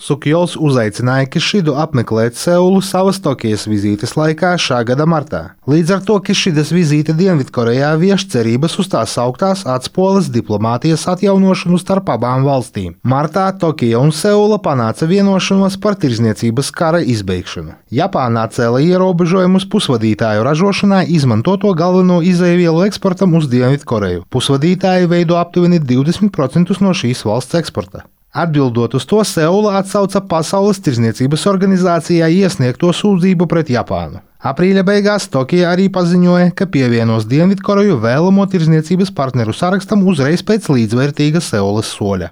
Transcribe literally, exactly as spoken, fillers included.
Sukjols uzaicināja Kišidu apmeklēt Seulu savas Tokijas vizītes laikā šā gada martā. Līdz ar to Kišidas vizīte Dienvidkorejā vieš cerības uz tās sauktās atspoles diplomātijas atjaunošanu starp abām valstīm. Martā Tokija un Seula panāca vienošanos par tirzniecības kara izbeigšanu. Japāna atcēla ierobežojumus pusvadītāju ražošanai izmantoto galveno izēvielu eksportam uz Dienvidkoreju. Pusvadītāji veido aptuveni divdesmit procentus no šīs valsts eksporta. Atbildot uz to, Seula atsauca Pasaules tirzniecības organizācijā iesniegto sūdzību pret Japānu. Aprīļa beigās Tokija arī paziņoja, ka pievienos Dienvidkoreju vēlamo tirzniecības partneru sarakstam uzreiz pēc līdzvērtīga Seulas soļa.